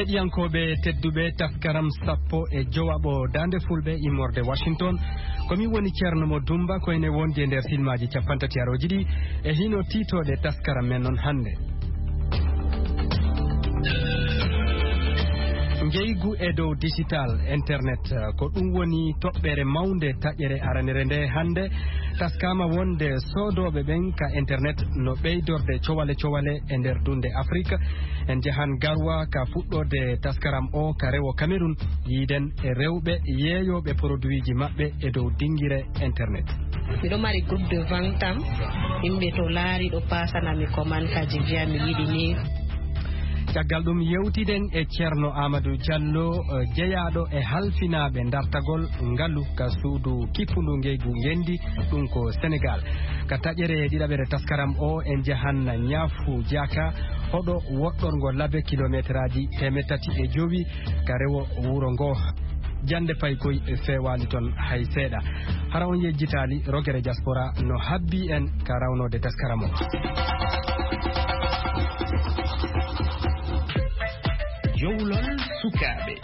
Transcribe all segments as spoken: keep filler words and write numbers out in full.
Heɗiyankooɓe tedduɓe, taskaram sappo e jowaɓo Daande Fulɓe immorde Washington. Ko min woni Ceerno Mo Dumba, ko ene wondi e nder silmaaji cappanɗe tati arooji ɗi. E hino tiitooɗe taskaram men non hannde. Ngeygu e dow digital, internet, ko ɗum woni toɓɓere mawnde taƴere aranere nde hannde. Taskaama wonde soodooɓe ɓen ka internet no ɓeydorde cowale cowale e nder dunde Afrik. En njahan Garwa ka fuɗɗorde taskaram o ka rewo Cameroun, yiiden e rewɓe yeeyooɓe produitji maɓɓe e dow dingire internet. Miɗo mari groupe de vente am, yimɓe to laari ɗo paasana mi commande kaji, mbiya mi yiɗi ni. Caggal ɗum, yewtiden e Ceerno Amadou Diallo, eh, jeyaaɗo e halfinaaɓe dartagol ngalu ka suudu kippundu ngeygu ngenndi, ɗum ko Senegal. Ka taƴere ɗiɗaɓere taskaram o, en njahan Ñaafu Jaaka, hoɗo woɗɗorngo laabi kilometeraaji teemeɗɗe tati e jowi ka rewo wuro ngo. Jannde paykoy feewaali ton hay seeɗa. Hara on yejjitaali, rogere diaspora no habbi en ka rawnoode taskaram o. Jowlol sukaaɓe.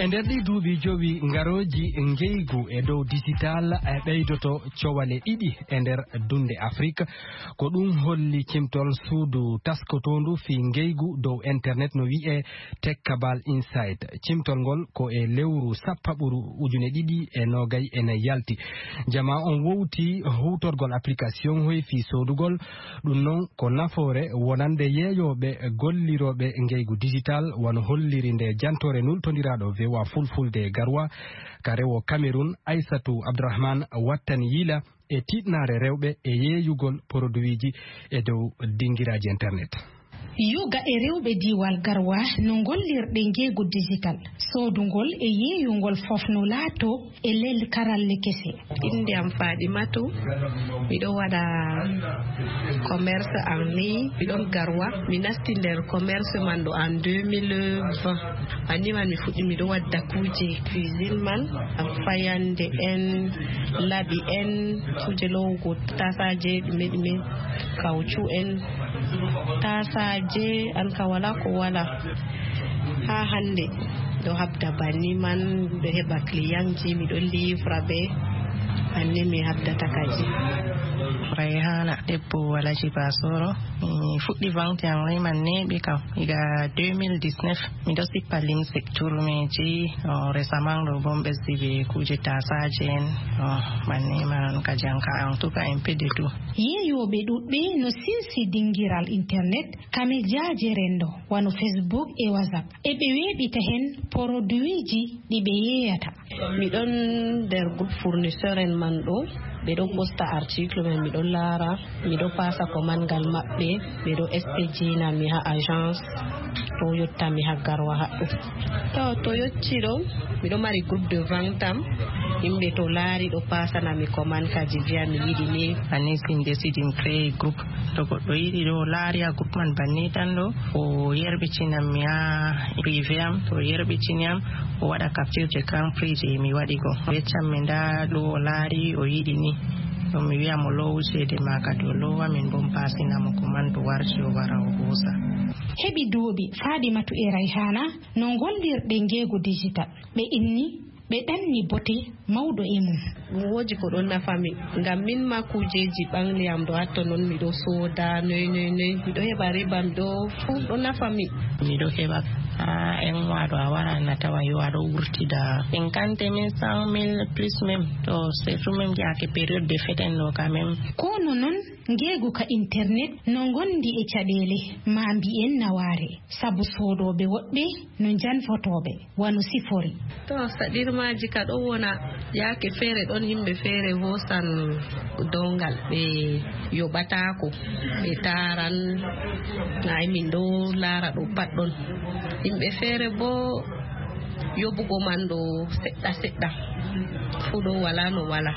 E nder ɗii duuɓi jowi ngarooji, ngeygu e dow digital e ɓeydoto cowale ɗiɗi e nder dunde Afrik. Ko ɗum holli cimtol suudu taskotoondu fii ngeygu dow internet no wi'ee Tech Cabal Insight. Cimtol ngol ko e lewru sappaɓuru ujune ɗiɗi e noogay e nayi yalti. Jamaa on wowti huutorgol application hoy fii soodugol. Ɗum non ko nafoore wonande yeeyooɓe gollirooɓe ngeygu digital, wano holliri nde jantoore nultondiraaɗo V O A Fulfulde Garwa ka rewo Cameroun, Aissatou Abdourahmane, wattani yila e tiiɗnaare rewɓe e yeeyugol produitji e dow dingiraaji internet. Yoga e rewɓe diiwal Garwa no ngollirɗe ngeygu digital, soodungol e yeeyungol fof no laato e lel karalle kese. Innde am Fadimatu, miɗo waɗa commerce en ligne, miɗon Garwa. Mi nasti nder commerce man ɗo en deux mille vingt. Banni man mi fuɗɗi miɗo wadda kuuje cuisine man, am fayande en, laɓi en, kuuje lowugo tasaaje, ɗume ɗume, kawcu en, tasaaje, an ka wala ko wala. Haa hannde, ɗo habda banni man, ɗo heɓa clientji, miɗo livra ɓe, banni mi habdata kadi. Rayhana, debbo Alaji Basoro, mi fuɗɗi vente en ligne man neeɓi kam, iga deux mille dix-neuf, miɗo sippa limse, turmeji, o, récemment ɗo bon ɓesdi ɓe kuuje tasaaje en, o, banni man on ka janka, en tout cas, un peu de tout. Yeeyooɓe ɗuɗɓe no sinsi dingiral internet, ka mejaaje renndo, wano Facebook e WhatsApp. E ɓe weeɓita heen poroduwiiji ɗi ɓe yeeyata. Miɗon nder groupe fournisseur en man ɗo, ɓe ɗon ɓosta article men, miɗon laara, miɗo paasa commande ngal maɓɓe, ɓe ɗo expédier na mi ha agence, ɗo yotta mi ha Garwa haɗɗo. To, to yotti ɗo, miɗo mari groupe de vente am, yimɓe to laari ɗo paasana mi commande kaji, mbiya mi yiɗi ni. Anis in décide in créer groupe. To goɗɗo yiɗi ɗo laari a groupe man banni tan ɗo, o yerɓitinan mi ha privé am, to o yerɓitini am, o waɗa capture d'écran prix je mi waɗi go. O yeccan mi nda ɗo o laari o yiɗi ni. Ɗum mi wi'a mo loowu ceede ma kadi o loowa, min bo mi paasina mo commande, to warti o wara o hoosa. Heɓi duuɓi Fadimatu e Rayhana no ngollirɗe ngeegu digital. Ɓe inni ɓe ɗanni bote mawɗo e mum. Ɗum woodi ko ɗon nafa mi, ngam min ma kuujeeji ɓangli am ɗo hatto non miɗo sooda, noy, noy, noy, miɗo heɓa riba, miɗo, fuu ɗo nafa mi. Miɗo heɓa, haa en waɗo a wara na tawa yo aɗo wurtida cinquante mille, cent mille, plus même, to surtout même yaake période de fête en ɗo quand même. Kono non, ngeegu ka internet no ngondi e caɗeele, ma mbiyen nawaare, sabu soodooɓe woɗɓe no njanfotooɓe, wano sifori. To, saɗirmaaji ka ɗo wona, yaake feere ɗon yimɓe feere hoosan downgal, ɓe yoɓataako, ɓe taaran, ay min ɗo laara ɗo pat ɗon. Yimɓe feere bo yoɓugo man ɗo seɗɗa seɗɗa, fuu ɗo wala no wala.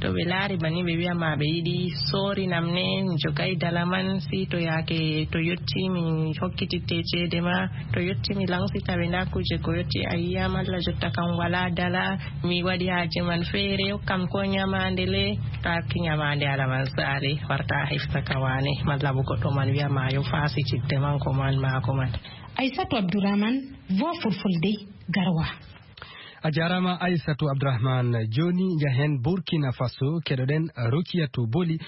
To ɓe laari banni, ɓe wiya ma ɓe yiɗi soorinam ne, mi jogay dala man, si to yaake to yotti mi hokkititte ceede ma, to yotti mi lansita ɓe nda kuuje ko yotti a yiya malla jotta kam wala dala, mi waɗi haaje man feere, hokkam ko ñamaande le, taaki ñamaande ala man saali, warta a hefta ka waane, malla bo goɗɗo man wiya ma yo faasitidde man ko man maako man. Aysatu Abdourahmane, Voix Fulfulde, Garoua. A jaaraama Aysatu Abdourahmane. Jooni njahen Burkina Faso, keɗoɗen Rukiyatu Boli.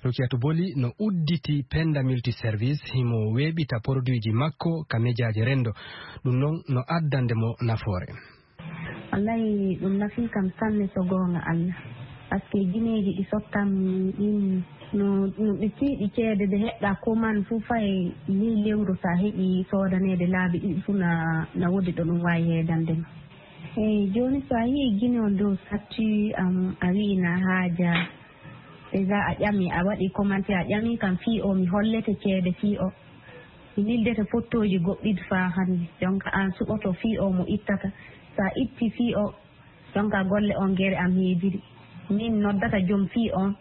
Rukiyatu Boli no udditi Penda Multiservice, himo weeɓita produitji makko ka mejaaje renndo. Ɗum noon no addande mo nafoore. Wallahi, ɗum nafii kam sanne, so goonga Allah. Parce que gineeji ɗi sottam ɗin, no, no ɗi tiiɗi ceede, ɗe heɓɗa commande fof, fay ley lewru, so a heɓi soodaneede laabi ɗiɗi fof, na, na woodi ɗo ɗum waawi heedande ma. Eey, jooni, so a yii Gine on dow statut am, a wi'i na haaja. Déjà a ƴami, a waɗi commentaire, a ƴami kam fii o, mi hollete ceede fii o. Mi nildete fottooji goɗɗiɗi faa hannde. Jonka aan suɓoto fii o mo ittata. So a itti fii o, jonka golle on gere am heediri. Min noddata jom fii on,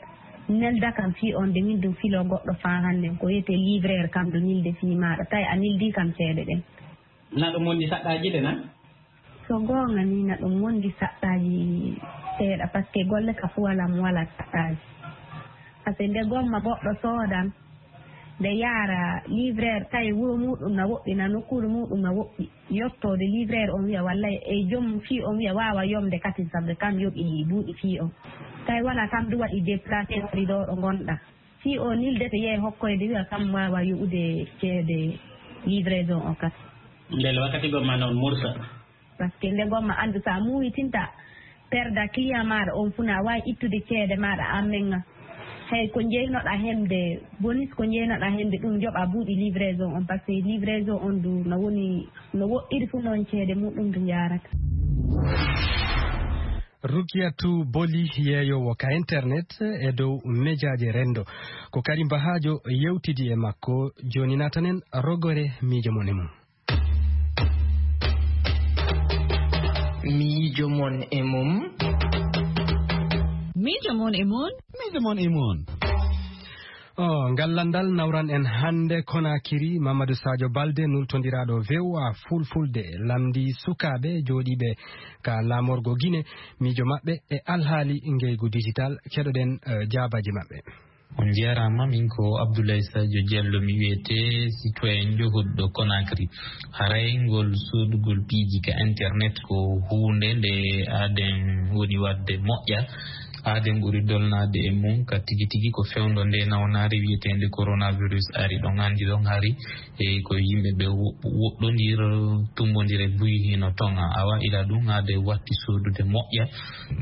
nelda kam fii on, de min ɗum filo goɗɗo faa hannde. Ko wiyetee livreur kam ɗo nilde fii maaɗa. Tawi a nildi kam ceede ɗen. Na ɗum wondi saɗɗaaji de na? So goonga ni, na ɗum wondi saɗɗaaji seeɗa, parce que golle ka fuwal am wala saɗɗaaji. Parce que nde gomma goɗɗo soodan, nde yaara livreur, tawi wuro muɗum na woɗɗi, na nokkuure muɗum na woɗɗi. Yottoode livreur on wiya, walla e joom fii on wiya, waawa yomde katin, sabu kam yoɓi buuɗi fii on. Tawi wala kam du waɗi déplacé wari ɗo ɗo ngonɗa. Fii o nildete yehi hokkoyde wiya kam waawa yoɓude ceede livraison o kat. Ndel wakkati gomma noon mursa. Parce que nde gomma anndu so a muuyitinta perda client maaɗa on fuu na waawi ittude ceede maaɗa an menga. Hey, ko njeynoɗa hemde, bonis ko njeynoɗa hemde ɗum joɓa buuɗi livraison on, parce que livraison on du no woni, no woɗɗiri fuu noon ceede muɗum du njaarata. Rukiyatu Boli, yeeyoowo ka internet e dow mejaaje renndo. Ko Karim Bahaajo yewtidi e makko. Jooni naatanen rogore miijo mon e mum. Miijo mon e mum. Miijo mon e mum. Miijo mon e mum. O, ngal lanndal nawran en hannde Konakiri, Mamadou Sadio Balde, nultondiraaɗo V O A Fulfulde, lamndii sukaaɓe jooɗiiɓe ka laamorgo Gine, miijo maɓɓe e alhaali ngeygu digital. Keɗoɗen, eh, jaabaaji maɓɓe. On njeeraama, min ko Abdoulaye Sadio Diallo, mi wiyetee, citoyen johuɗo Conakry. Haray ngol soodugol piiji ka internet ko huunde nde aaden woni waɗde moƴƴa. Aaden ɓuri dolnaade e mum ka tigi tigi ko fewndo nde nawnaare wiyeteende coronavirus ari. Ɗon anndi ɗon hari e ko yimɓe ɓe wo-, woɗɗondir, tumbondire buy hino toŋa. Awa ila ɗum aaden watti soodude moƴƴa.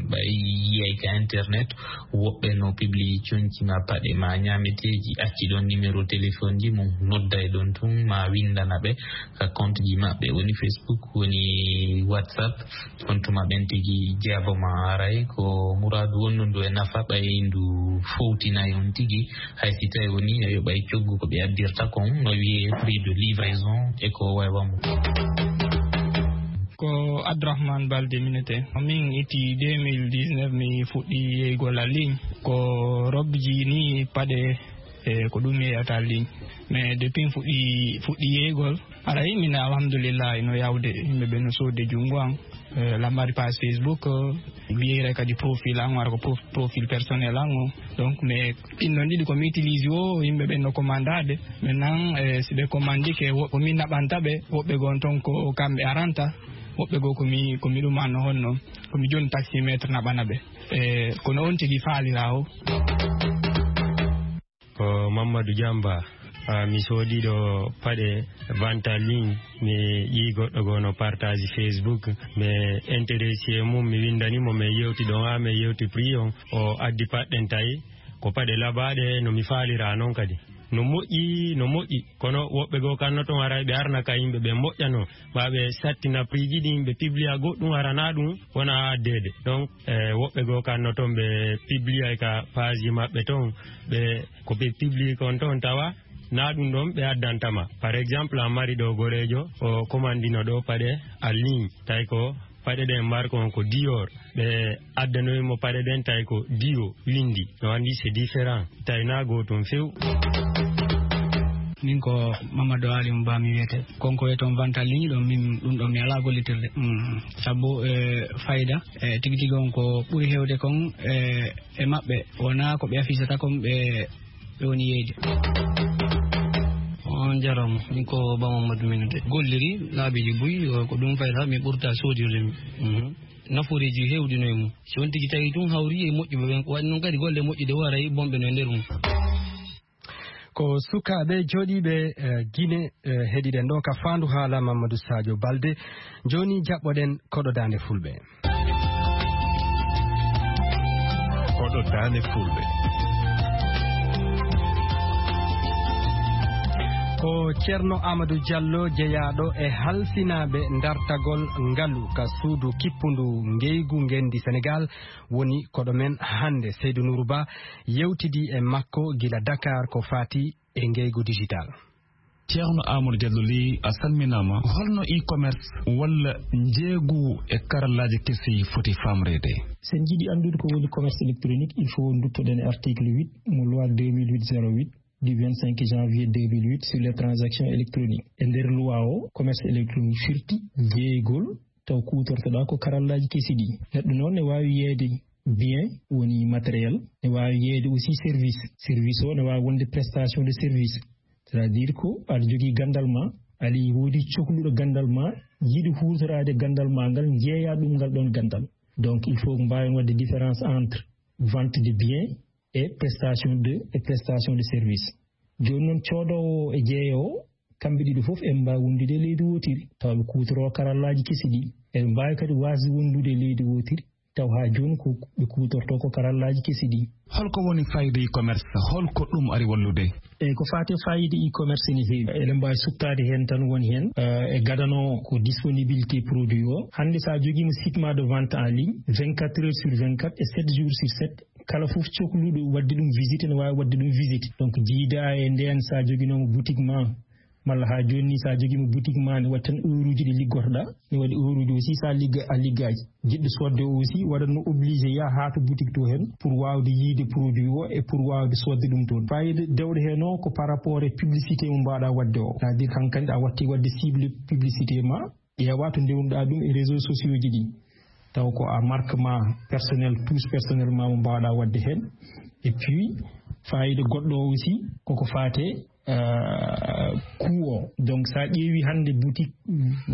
Ɓay yiyay ka internet, woɓɓe no publie conci ma paɗe ma ñaameteeji, acci ɗon numéro téléphone ji mum, nodday ɗon tun ma windana ɓe ka compte ji maɓɓe, woni Facebook, woni WhatsApp. On tuma ɓen tigi jeabo ma aray. Ko muraadu wonndu ndu e nafa ɓay ndu fowtinay on tigi, hay si tawi woni a yoɓay coggu ko ɓe addirta kon, no wiyee prix de livraison e ko waywa mum. Ko Abdourahmane Balde minete. Min itti deux mille dix-neuf mi fuɗɗi yeygol en ligne. Ko robji ni paɗe e ko ɗum yeeyata en ligne. Mais depuis mi fuɗɗi, fuɗɗi yeygol, aray min alhamdulillah ino yawde. Yimɓe ɓe no soodde junngo an. Eh, lammari page Facebook, eh, mi yeeyray kadi profil an, wara ko prof-, profil personnel an o. Donc, mais ɗin ɗon ɗiɗi ko mi utilise o, yimɓe ɓen no commandaade. Maintenant, eh, si ɓe commandike, wo-, ko min naɓanta ɓe, woɓɓe gon ton ko kamɓe aranta, woɓɓe goo ko mi, ko mi ɗum anno honno, ko mi joni taximétre naɓana ɓe. Eh, kono on tigi faalira o. Ko Mamadou Diamba. Ah, mi soodi ɗo paɗe vente en ligne, mi yii goɗɗo goo no partage Facebook, mi intéressé e mum, mi windani mo, mi yewti ɗon, ah, mi yewti prix on, o addi paɗɗen tawi ko paɗe labaaɗe no mi faalira non kadi. No moƴƴi, no moƴƴi, kono woɓɓe goo kanno ton aray ɓe arna ka yimɓe ɓe moƴƴano, ɓa ɓe sattina prix ji ɗin, ɓe publia goɗɗum arana ɗum wona addeede. Donc, eh, woɓɓe goo kanno ton ɓe publia ka page maɓɓe ton, ɓe ko ɓe publie kon ton tawa na ɗum ɗon ɓe addantama. Par exemple, a mari ɗo goreejo, o commandino ɗo paɗe en ligne, tawi ko Paɗe ɗen mbar ko on ko Dior. Ɓe addanoyi mo paɗe ɗen tawi ko Dio windi. No anndi c'est différent. Tawi na gootum few. Min ko Mamadou Ali Mba mi wiyete. Konko e toon Vanta Ligne ɗon min ɗum ɗon mi alaa gollitirde. Mm. Sabu, eh, fayda, eh, tigi tigi on ko ɓuri heewde kon, eh, e maɓɓe. Wonaa ko ɓe afisata kon ɓe, ɓe woni yeeyde. On jarama. Min ko Ba Mamadou Minute. Golliri laabiiji buy, o, ko ɗum fayda mi ɓurta soodirde mi. Mhm. Naforeeji heewɗi no e mum. Si on tigi tawi tun hawri e moƴƴuɓe ɓen, ko waɗi noon kadi golle moƴƴude waray bonɓe no e nder mum. Ko sukaaɓe jooɗiiɓe, eh, Gine, eh, heɗiɗen ɗo ka Faandu Haala Mamadou Sadio Balde. Jooni jaɓɓoɗen koɗo Daande Fulɓe. Koɗo Daande Fulɓe. Ko Ceerno Amadou Diallo jeyaaɗo e halfinaaɓe dartagol ngalu ka suudu kippundu ngeygu ngenndi Senegaal woni koɗo men hannde. Seydou Nourou Ba yewtidi e makko gila Dakar ko faati e ngeygu digital. Ceerno Amadou Diallo Ly, a salminaama. Holno e-commerce walla njeeygu e karallaaji kesi foti faamreede? So en njiɗi anndude ko woni commerce électronique, il faut nduttoɗen e article huit mo loi deux mille huit zéro huit du vingt-cinq janvier deux mille huit sur les transactions électroniques. E nder loi o, commerce électronique firti jeeygol taw kuutortoɗaa ko karallaaji kesi ɗi. Neɗɗo noon ne waawi yeeyde bien, woni matériel, ne waawi yeeyde aussi service. Service o ne waawi wonde prestation de service. C'est-à-dire ko aɗa jogii ganndal ma, ali woodi cokluɗo ganndal ma, yiɗi huutoraade ganndal ma ngal, njeeya ɗum ngal ɗon ganndal. Donc, il faut mbaawen waɗde différence entre vente de biens et prestation de, et prestation de service. Jooni noon, coodoowo e jeeyoowo, kamɓe ɗiɗo fof en mbaawi wondude e leydi wootiri, tawa ɓe kuutoroo karallaaji kesi ɗi. Eɓe mbaawi kadi waasde wondude e leydi wootiri, taw haa jooni ko ɓe kuutortoo ko karallaaji kesi ɗi. Holko woni fayida e-commerce? Holko ɗum ari wallude? Eyi, ko faati e fayida e-commerce ne heewi. Eɗen mbaawi suɓtaade heen tan woni heen, eh, e gadano ko disponibilité produit o. Hannde so a jogiima site ma de vente en ligne, vingt-quatre heures sur vingt-quatre et sept jours sur sept, kala fof cokluɗo waɗde ɗum visite ne waawi waɗde ɗum visite. Donc, jiida e ndeen so a joginooma boutique ma, malla haa jooni ni so a jogiima boutique ma ne waɗi tan heure uji ɗi liggotoɗaa, ne waɗi heure uji aussi so a ligga-, a liggaaki. Jiɗɗo soodde o aussi waɗatno obligé yaha haa to boutique to heen pour waawde yiide produit o e pour waawde soodde ɗum toon. Fayida dewɗo heen o ko par rapport e publicité mo mbaawɗa waɗde o. C'est-à-dire hankandi a watti waɗde cible publicité ma, ƴeewa to ndewnuɗaa ɗum e réseaux sociaux ji ɗi. Taw ko a marque ma personnel, touche personnel ma mo mbaawɗa waɗde heen. Et puis, fayida goɗɗo o aussi, koko faate, euh, coût o. Donc, so a ƴeewi hannde boutique,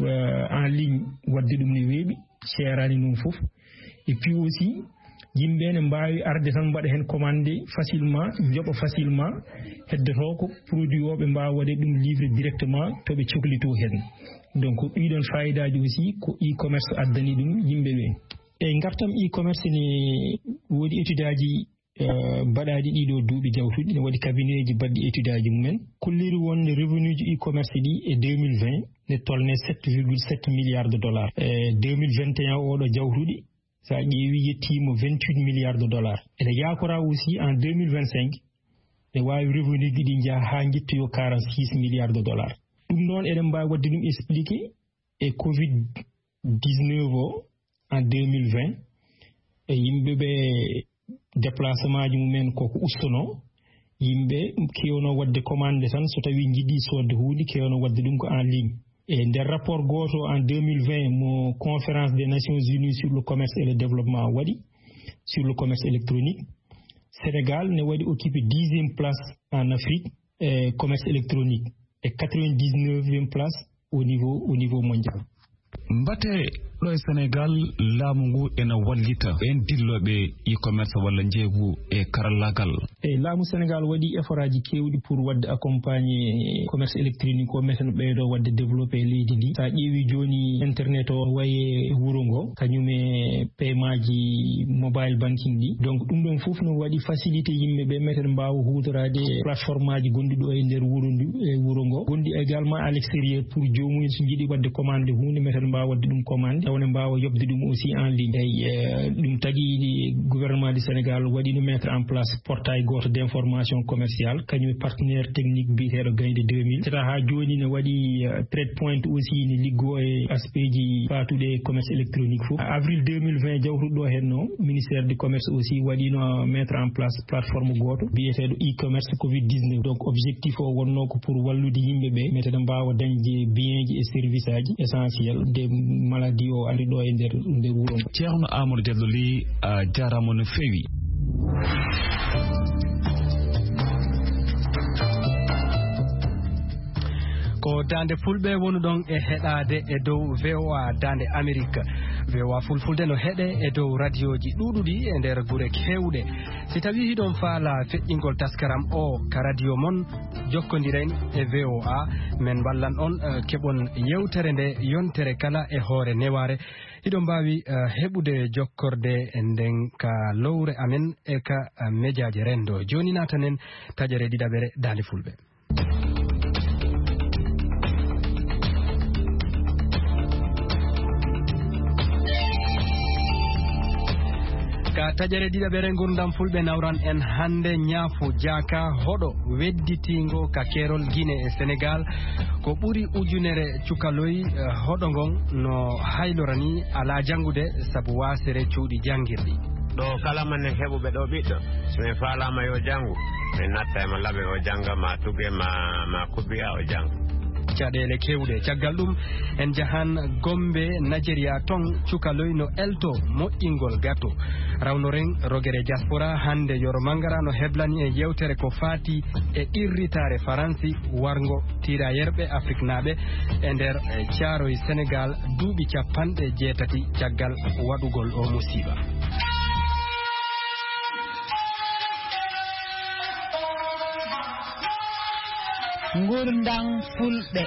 euh, en ligne, waɗde ɗum ne weeɓi, seeraani ɗum fof. Et puis aussi, yimɓe ne mbaawi arde tan mbaɗa heen commande facilement, njoɓa facilement, heddotoo ko produit o ɓe mbaawa waɗde ɗum livrer directement to ɓe coklitoo heen. Donc, ɗiɗon fayidaaji aussi ko e-commerce addani ɗum yimɓe ɓe. E ngartam e-commerce ne woodi étude aji, eh, mbaɗaaɗi ɗiɗo duuɓi jawtuɗi, ne waɗi cabinet ji baɗɗi étude aji mumen. Kolliri wonde revenu ji e-commerce ɗi e deux mille vingt ne tolne sept virgule sept milliards de dollars. E deux mille vingt et un oɗo jawtuɗi, so a ƴeewi, yettiima vingt-huit milliards de dollars. Ene yaakora aussi en deux mille vingt-cinq, ne waawi revenu ji ɗi njaha haa njettoyo quarante-six milliards de dollars. Ɗum noon, eɗen mbaawi waɗde ɗum expliqué e covid dix-neuf o en deux mille vingt, e yimɓe ɓe déplacement ji mumen koko ustono, yimɓe kewno waɗde commande tan, so tawi jiɗi soodde huunde, kewno waɗde ɗum ko en ligne. E nder rapport gooto en deux mille vingt mo Conférence des Nations Unies sur le commerce et le développement waɗi, sur le commerce électronique, Sénégal ne waɗi occupé dixième place en Afrique e commerce électronique e quatre-vingt-dix-neuvième place au niveau, au niveau mondial. Mbate ɗo e Sénégal, laamu ngu ena wallita ɓeen dillooɓe e-commerce walla njeeygu e karallaagal? E laamu Sénégal waɗi effort aji keewɗi pour waɗde accompagner commerce électronique o, meten ɓeydo waɗde développé e leydi ndi. So a ƴeewi jooni internet o wayi e wuro ngo, kañum e paiement ji mobile banking ɗi. Donc, ɗum ɗon fof no waɗi facilité yimɓe ɓe meten mbaawa huutoraade plateforme aji gonɗi ɗo e nder wuro ndu, e wuro ngo. Gonɗi également à l'extérieur pour joomum en so jiɗi waɗde commande huunde, meten mbaawa waɗde ɗum commande, taw ne mbaawa yoɓde ɗum aussi en ligne. Eyi, eh, ɗum tagi gouvernement du Sénégal waɗino mettre en place portail gooto d'information commerciale, kañum e partenaire technique biyeteeɗo Gaynde deux mille. Haa jooni ne waɗi trade point aussi ne liggoo e aspeji faatuɗe e commerce électronique fof. Avril deux mille vingt jawtuɗo ɗo henno, ministère du commerce aussi waɗino mettre en place plateforme gooto biyeteeɗo e-commerce covid dix-neuf. Donc objectif o wonno ko pour wallude yimɓe ɓe metede mbaawa dañde bienji e service aji essentiel de maladie o ari ɗo e nder nder wuro ngo. Ceerno Amadou Diallo Ly, a jaaraama no feewi. Ko Daande Fulɓe wonuɗon e heɗaade e dow V O A Daande Amerik. V O A Fulfulde no heɗe e dow radioji ɗuuɗuɗi e nder gure keewɗe. Si tawii hiɗon faala feƴƴingol taskaram o ka radio mon, jokkondiren e V O A, men wallan on, eh, keɓon yewtere nde yontere kala e hoore newaare. Hiɗon mbaawi, eh, heɓude jokkorde nden ka lowre amen e ka, eh, mejaaje renndo. Jooni naatanen taƴere ɗiɗaɓere Daande Fulɓe. Ka taƴere ɗiɗaɓere ngurdam Fulɓe nawran en hannde ñaafu jaaka hoɗo wedditiingo ka keerol Gine e Senegaal. Ko ɓuri ujunere cukaloy, eh, hoɗo ngon no haylorani alaa janngude sabu waasere cuuɗi janngirɗi. Ɗo kala mannen heɓuɓe ɗo ɓiɗɗo, si min faalaama yo janngu, min natta e mo laɓen o jannga, ma tuge, ma, ma kubbiya o jannga. Caɗeele keewɗe. Caggal ɗum, en njahan Gombe, Nigeria, ton cukaloy no elto moƴƴingol gato. Rawnoren rogere diaspora, hannde Yoro Mangara no heblani en yewtere ko faati e qirritaare Faransi warngo tirailleur ɓe Afriknaaɓe e nder, eh, Caaroy Senegaal duuɓi capanɗe jeetati caggal waɗugol o musiiba. Ngurndan Fulɓe.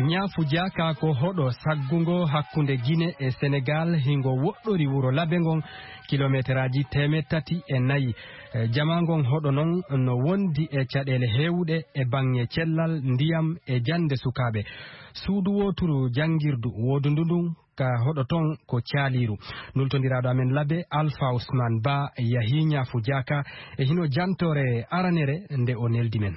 Ñaafu jaaka ko hoɗo saggungo hakkunde Gine e Senegaal, hingo woɗɗori wuro Labe ngon kilometeraaji teemeɗɗe tati e nayi. Eh, jamaa ngon hoɗo non no wondi e caɗeele heewuɗe e baŋŋe cellal, ndiyam e jannde sukaaɓe. Suudu wooturu janngirdu woodundu ndun ka hoɗo ton ko caaliiru. Nultondiraaɗo amen Labe, Alpha Ousmane Ba, yahii ñaafu jaaka e hino jantoore aranere nde o neldi men.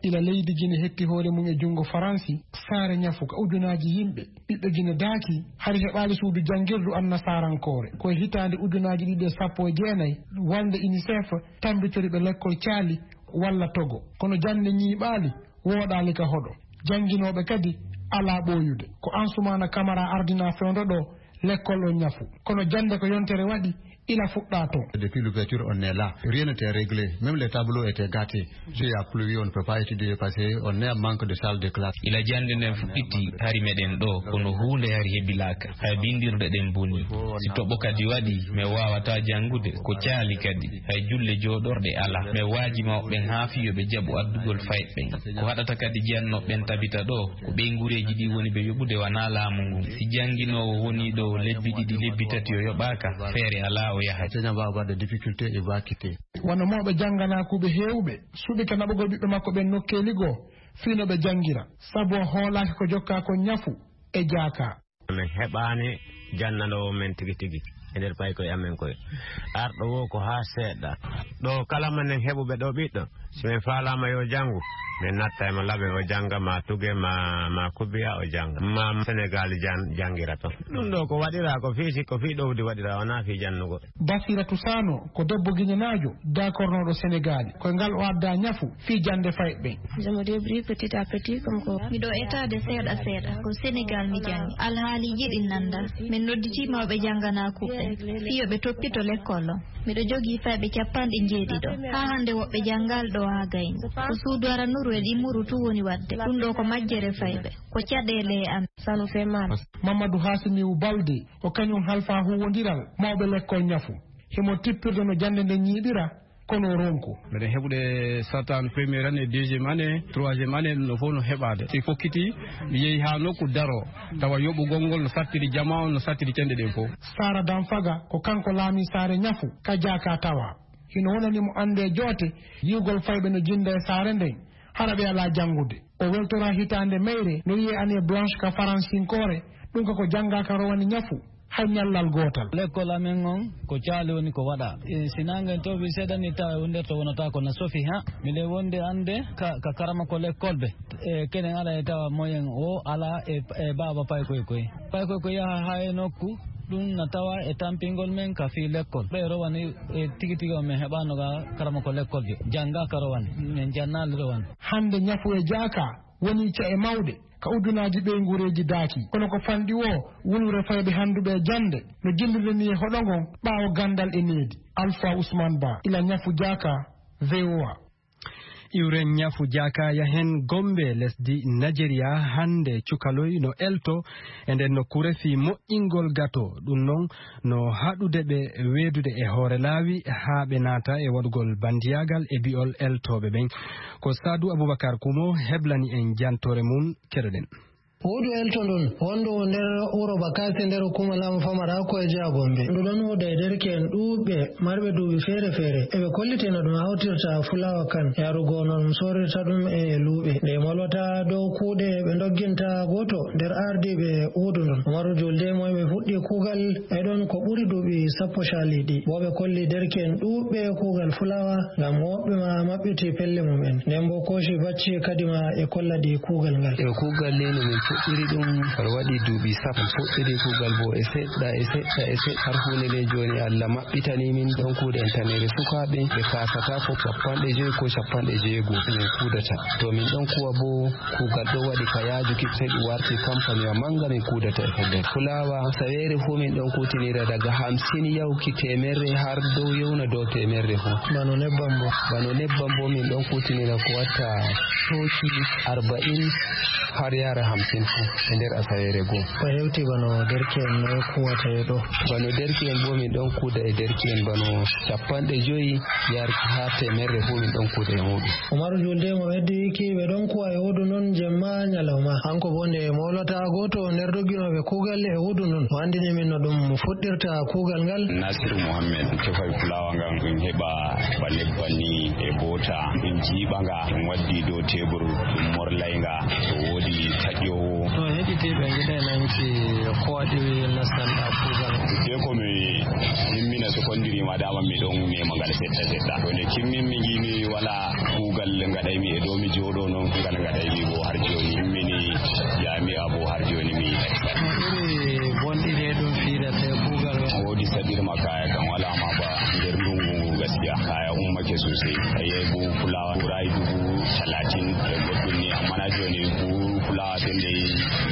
Ila leydi Gine hetti hoore mum e junngo Faransi, saare ñafu ka ujunaaji yimɓe, ɓiɓɓe Gine daaki, hari heɓaali suudu janngirdu annasarankoore. Ko e hitaande ujunaaji ɗiɗi e sappo e jeenayi, walnde UNICEF tambitori ɓe lekkol caali walla togo. Kono jannde ñiiɓaali, wooɗaali ka hoɗo. Jannginooɓe kadi alaa ɓooyude. Ko Ansoumana Camara ardinaa fewndo ɗo lekkol on ñafu. Kono jannde ko yontere waɗi, ila fuɗɗaa ton. Depuis l'ouverture, on est là. Rien n'était réglé. Même les tableaux étaient gâtés. S'il y a pluie, on ne peut pas étudier parce que on est en manque de salle de classe. Ila jannde nden fuɗɗiti, hari meɗen ɗo, kono huunde hari hebilaaka. Hay binndirɗe ɗen boni. Si toɓo kadi waɗi, mi waawataa janngude. Ko caali kadi. Hay julle jooɗorɗe alaa. Mi waaji mawɓe ɓen haa fii yo ɓe jaɓu addugol fayɓe ɓen. Ko haɗata kadi jiyannooɓe ɓen tabita ɗo, ko ɓeynguureeji ɗi woni ɓe yoɓude, wanaa laamu ngun. Si jannginoowo wonii ɗo lebbi ɗiɗi, lebbi tati o yoɓaaka, feere alaa o yahay. Enseignant va avoir des difficultés, il va quitter. Wano mawɓe jannganaakuuɓe heewɓe suɓike naɓugol ɓiɓɓe makko ɓen nokkeeli goo fii no ɓe janngira, sabu o hoolaaki ko jokkaa kon ñafu e jaaka. Min heɓaani jannanoowo men tigi tigi e nder paykoye amen koye. Arɗo woo ko haa seeɗa. Ɗo kala mannen heɓuɓe ɗo ɓiɗɗo, si min faalaama yo janngu, min natta e mo laɓen o jannga, ma tuge, ma, ma kubiya o jannga, ma Senegaal jan-, janngira ton. Ɗum ɗo ko waɗiraa ko fii si-, ko fii ɗowdi waɗiraa, wonaa fii jannugol. Basiratu Sano ko debbo giñanaajo daakornooɗo Senegaali. Ko e ngal o addaa ñafu fii jannde fayɓe ɓen. Je me débrouille petit à petit, comme quoi. Miɗo etaade seeɗa seeɗa. Ko Senegaal mi janngi. Alhaaliiji ɗin nanndaa. Min nodditii mawɓe jannganaakuuɓe ɓen fii yo ɓe toppito lekkol on. Miɗo jogii fayɓe capanɗe njeeɗiɗo. Haa hannde woɓɓe janngaali ɗo haa gayni. Ko suudu aranuru e ɗimmuru tun woni waɗde. Ɗum ɗoo ko majjere fayɓe. Ko caɗeele e amen. Ça nous fait mal. Mamadou Hassimiou Baldé, o kañum halfaa huuwondiral mawɓe lekkol ñafu. Himo tippirde no jannde nden ñiiɓira, kono o ronku. Meɗen heɓude sartaaɓe première année, deuxième année, troisième année, ɗum ɗo fof no heɓaade. Si fokkiti, mi yehi haa nokku daro, tawa yoɓugol ngol no sattiri jamaa on, no sattiri cenɗe ɗen fof. Sara Danfaga, ko kanko laamii saare ñafu ka jaaka tawa. Hino wonani mo annde e joote, yi'ugol fayɓe no jinnda e saare nden, hara ɓe alaa janngude. O weltoraa hitaande mayre, no wi'ee année blanche ka faransinkoore, ɗum ka ko janngaa ka rowani ñafu. Hay ñallal gootal. Lekkol amen on ko caali woni ko waɗa. E, si naange tooɓi seeɗa ni tawa e wonderto wonata ko na sofi ha. Miɗen wondi annde ka, ka karama ko lekkol ɓe. E, kenen ala e tawa moyen o ala e, e baaba paykoy koy. Paykoy ko yaha ha e nokku, ɗum na tawa e tampingol men ka fii lekkol. Ɓe rowani e tigi tigi on men heɓano ga karama ko lekkol jo. Jannga ka rowani. Men jannaali rowani. Hannde ñafu e jaaka woni ca'e mawɗe ka udunaaji ɓeynguureeji daaki. Kono ko fanɗi woo wulure fayɓe hannduɓe e jannde no jilliri ni e hoɗo ngon ɓaawo ganndal e needi. Alpha Ousmane Ba, ila ñafu jaaka, V O A. Iwre ñafu jaaka yahen Gombe, lesdi Nigeria, hannde cukaloy no elto e nden nokkuure fii moƴƴingol gato. Ɗum non no haɗude ɓe weedude e hoore laawi haa ɓe naata e waɗugol bandiyaagal e bi'ol eltooɓe ɓen. Ko Saadu Abubakar Kumo heblani en jantoore mum, keɗoɗen. Woodu elto ndun, wondu nder wuro Bakasi nder hukuma laamu famara ko e jeya Gombe. Ndu ɗon hoda e derke'en ɗuuɓɓe marɓe duuɓi feere-feere. Eɓe kolliteno ɗum hawtirta fulawa kan, yarugo no ɗum sorirta ɗum e luuɓe. Nde molwata dow kuuɗe ɓe ndogginta gooto nder ardiiɓe woodu ndun. Umaru Julde mo ɓe fuɗɗi kuugal e ɗon ko ɓuri duuɓi sappo caliɗi. Bo ɓe kolli derke'en ɗuuɓɓe kuugal fulawa ngam woɓɓe ma maɓɓiti pelle mum en. Nden bo kooci bacci kadi ma e kolla ɗi kuugal ngal. E kuugal ni no min fuɗɗiri ɗum, aɗa waɗi duuɓi sappo. Fuɗɗiri kuugal bo e seɗɗa, e seɗɗa, e seɗɗa. Har huunde nde jooni Allah maɓɓitani min ɗon kuuɗe en tanere sukaaɓe ɓe kaasata ko cappanɗe joyi ko cappanɗe jeego min kuudata. To min ɗon kuwa bo kuugal ɗo waɗi ka yaajuki, sey ɗum warti kampaniwa mannga min kuudata e pellel. Fulawa saweere fuu min ɗon kuutinira daga hamsin yawki teemerre har dow yewna dow teemerre fuu. Bano nebbam bo? Bano nebbam bo min ɗon kuutinira ko watta tooki arba'in har yaara hamsin fuu e nder asaweere goo. Ko hewti bano derke'en noy kuwata e ɗo? Bano derke'en bo min ɗon kuuda e derke'en bano cappanɗe joyi yarki haa teemerre fuu min ɗon kuuda e muuɗum. Umaru Julde mo heddi ki ɓe ɗon kuwa e woodu non jemma ñalawma. Hanko bo nde mowlata gooto nder dogginooɓe kuugal e woodu non, o anndini min no ɗum fuɗɗirta kuugal ngal. Nasiru Mohammed, tefay fulawa ngal ɗum heɓa ba nebban ni e boota, ɗum jiiɓa nga, ɗum waddi dow tebur, ɗum morlay nga, to woodi taƴoowo. To heɗitiiɓe ngiɗay nanki ko waɗi nastanɗa kuugal? Te ko mi himmina sekondiri ma dama mi ɗon mema ngal seɗɗa seɗɗa. To nde kimmin mi ngiimi wala kuugal ngaɗaymi e dow mi jooɗo non ngal ngaɗaymi bo har jooni. Himmini jami'a bo har jooni mi yiɗay. No iri bonɗi ɗe ɗum fiirata e kuugal ngal? Woodi saɗirma kaya kan wala ma ba nder ndungu ngu gaskiya. Kaya ummake sosai. Ayi bu fulawa ɓuray dubu talatin e goɗɗum ni amma na jooni bu fulawa sendei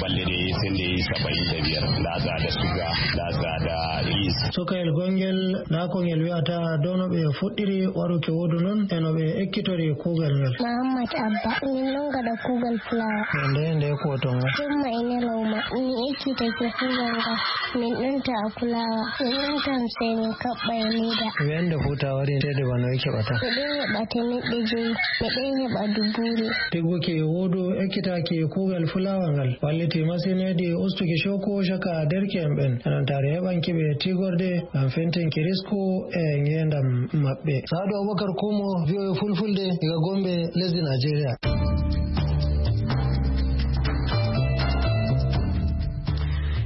balɗe ɗe sendei saba'in da biyar. Nda tsada suga, nda tsada yis. Sokayel gongel, nda ko ngel wi'ata dow no ɓe fuɗɗiri waɗuki woodu non e no ɓe ekkitori kuugal ngal. Muhammad Abba, min ɗon gaɗa kuugal fulawa. Nde, nde ko ton? Jemma e ñalawma, mi ekkitake kuugal ngal. Min ɗon ta'a fulawa, min ɗon tamsay min kaɓɓa e leda. Wende fu ta wari ceede bano e keɓata? Miɗon heɓa temeɗɗe joyi, miɗon heɓa dubuure. Tigguki woodu ekkitaki kuugal fulawa ngal walliti masin hedi ustuki cooku caka derke'en ɓen. Enontaare heɓanki ɓe tigorde ngam fentinki risku e ngeendam maɓɓe. Saadu Abubakar Kumo, V O A Fulfulde, diga Gombe, lesdi Najeriya.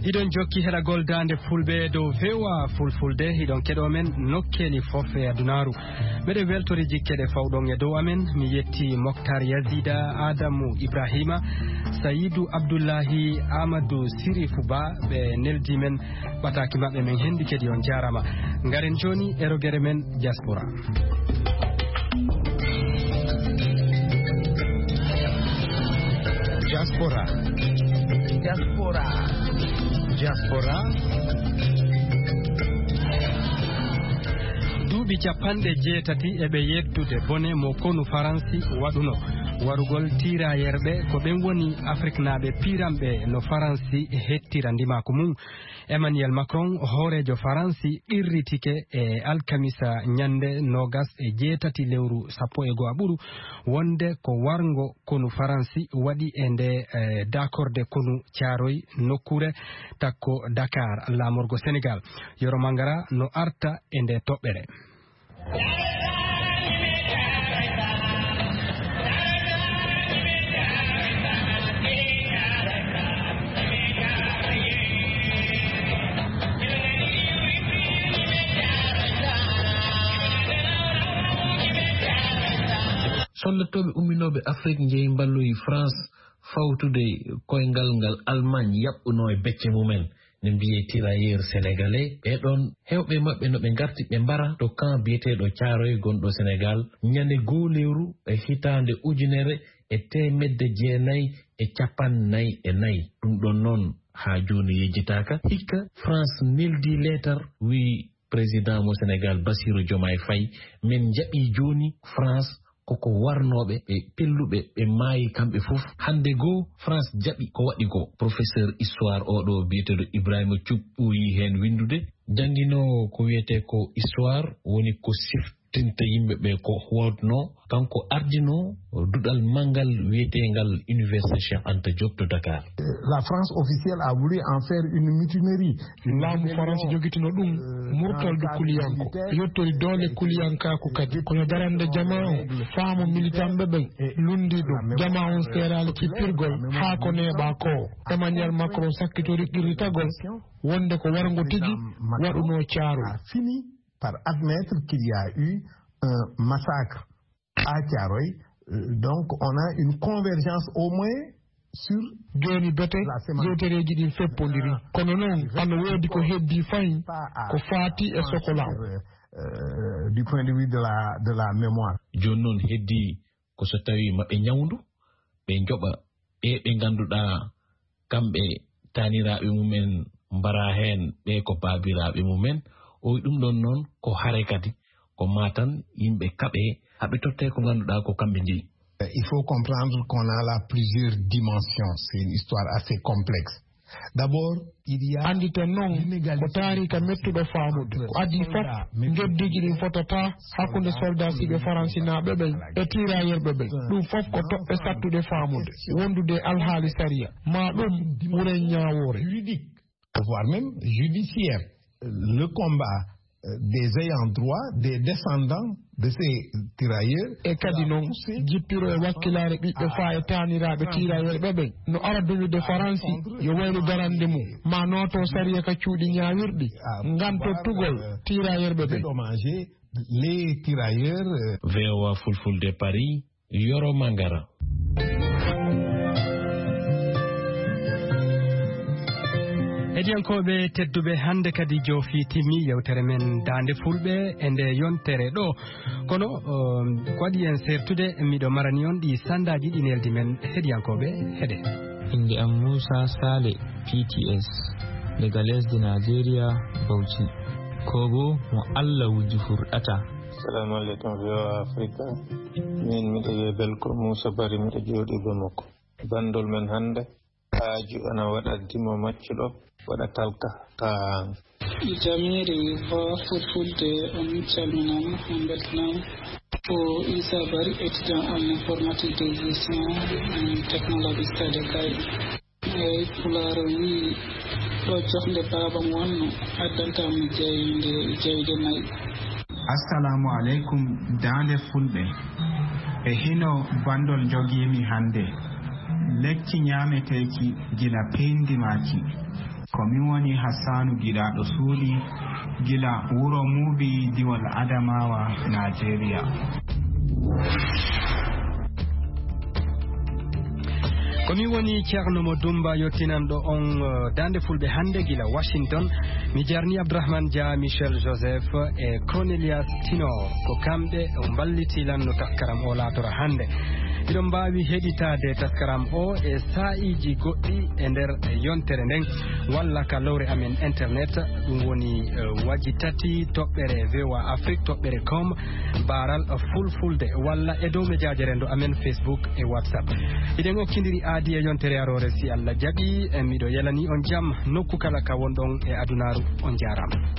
Hiɗon jokki heɗagol daande fulɓe dow V O A Fulfulde, hiɗon keɗo men nokkeeli fof e adunaaru. Meɗen weltori jikke ɗe fawɗon e dow amen. Mi yetti Moktar Yazida, Adamu Ibrahima, Sayidu Abdullahi, Amadou Sirifu Ba, ɓe neldi men ɓataaki maɓɓe men hendi kadi on jaarama. Ngaren jooni e rogere men diaspora. Diaspora. Diaspora. Diaspora. Duuɓi capanɗe jeetati e ɓe yeddude bone mo konu Faransi waɗuno. Warugol tiirayerɓe ko ɓen woni Afriknaaɓe piiranɓe no Faransi hettira ndimaaku mum. Emmanuel Macron, hooreejo Faransi, qirritike e alkamisa ñannde noogas e jeetati lewru sappo e go'aɓuru wonde ko warngo konu Faransi waɗi e nde, eh, dakorde konu Caaroy nokkuure takko Dakar, laamorgo Senegal. Yoro Mangara no arta e nde toɓɓere. Lattooɓe umminooɓe Afrik njehi mballoyi France fawtude koyngal ngal Allemagne yaɓɓunoo e becce mumen, ne mbiyee tirailleurs sénégalais. Ɓee ɗoon, heewɓe maɓɓe no ɓe ngarti ɓe mbara to camp biyeteeɗo Caaroy gonɗo Sénégal, ñande goo lewru e hitaande ujunere e teemedde jeenayi e cappanɗe nayi e nayi. Ɗum ɗoon noon, haa jooni yejjitaaka. Hikka, France neldi leetar, wiyi président mo Sénégal, Bassirou Diomaye Faye, men njaɓi jooni France koko warnooɓe, ɓe pelluɓe, ɓe maayi kamɓe fof. Hannde goo, France jaɓi ko waɗi ko. Professeur histoire oo ɗoo biyeteeɗo Ibrahima Thioub ɓooyi heen winndude. Jannginoowo ko wiyetee ko histoire, woni ko siftinta yimɓe ɓe ko waɗnoo. Kanko ardinoo duɗal manngal wiyeteengal Université Cheikh Anta Diop to Dakar. La France officielle a voulu en faire une mutinerie. Laamu Farans jogitino ɗum murtal du kuliyanko, yottori doole kuliyankaaku kadi. Kono darande jamaa o, faamu militanɓe ɓen lundi ɗum. Jamaa on seeraali kippirgol haa ko neeɓaa ko. Emmanuel Macron sakkitori qirritagol wonde ko warngo tigi waɗunoo Caaroy. A fini par admettre qu'il y a eu un massacre à Thiaroye. Euh, donc, on a une convergence au moins sur. Jooni bete yewtereeji ɗin feppondiri. Kono noon, ano woodi ko heddii fayin ko faati e sokola. Euh, du point de vue de la, de la mémoire. Jooni noon heddii ko so tawii maɓe ñawndu, ɓe njoɓa ɓe ɓe ngannduɗaa kamɓe taaniraaɓe mumen mbaraa heen, ɓe ko baabiraaɓe mumen. O wi ɗum ɗoon noon ko hare kadi, ko maa tan yimɓe kaɓe, haɓe tottee ko ngannduɗaa ko kamɓe njeyi. Il faut comprendre qu'on a là plusieurs dimensions. C'est une histoire assez complexe. D'abord, il y a. Annditen noon, ko taariika mettuɗo faamude. Ko adii fof, njeddiiji ɗin fotataa hakkunde soldaasiiɓe faransinaaɓe ɓen e tiiraayerɓe ɓen. Ɗum fof ko toɓɓe sattuɗe faamude, wondude e alhaali sariya, maa ɗum wuren ñaawoore. Voire même judiciaire. Le combat, euh, des ayants droit, des descendants de ces tirailleurs. E kadi noon, jippiro e wakkilaare ɓiɓɓe faa e taaniraaɓe tiiraayerɓe ɓen no ara duwude Faransi yo waylu darande mum, maa nooto sariya ka cuuɗi ñaawirɗi, ngam tottugol tiiraayerɓe ɓen. Dédommager les tirailleurs, euh. V O A Fulfulde Paris, Yoro Mangara. Heɗiyankooɓe tedduɓe, hannde kadi joofi timmi yewtere men Daande Fulɓe e nde yontere ɗo. Kono, um, ko waɗi en sertude, miɗo marani on ɗi sandaaji ɗi neldi men. Heɗiyankooɓe, heɗe. Innde am Muusa Saale, P T S, daga lesdi Najeriya, Bauchi. Kobo mo Allah wuji furɗata. Assalamu alaikum, V O A Africa. Min miɗo wiye Belko Muusa Bari, miɗo jooɗi Bamako. Bandol men hannde, haaju ana waɗa dimo maccuɗo, waɗa talka. Ka. Jamiiri V O A Fulfulde, on calminaama, on mbeltanaama. Ko Issa Bari, étudiant en informatique de gestion, en technologie, stade Kaydi. Eey, Pulaar o wiyi, ɗo joxnde baaba mo wonno, addanta mo jayde, jayde nayi. Assalamu aleykum, Daande Fulɓe. E hino bandol njogiimi hannde. Lekki ñaameteeki gila peyndimaaki. Ko min woni Hassanu Giɗaaɗo Suuɗi, gila wuro Muubi, diwol Adamawa, Najeriya. Ko min woni Ceerno Mo Dumba, yottinanɗo on, eh, Daande Fulɓe hannde gila Washington. Mi jarni Abdourahmane Dia, Michel Joseph e Cornelius Tino. Ko kamɓe mballiti lan no taskaram o laatora hannde. Hiɗon mbaawi heɗitaade taskaram o e saa'iiji goɗɗi e nder yontere nden, walla ka lowre amen internet, ɗum woni, eh, waji tati toɓɓere V O A Afrique toɓɓere com, baaral Fulfulde, walla e dow mejaaje renndo amen Facebook e WhatsApp. Hiɗen okkindiri aadi e yontere aroore, si Allah jaɓi, e miɗo yalani on jam nokku kala ka wonɗon e adunaaru. On jaaraama.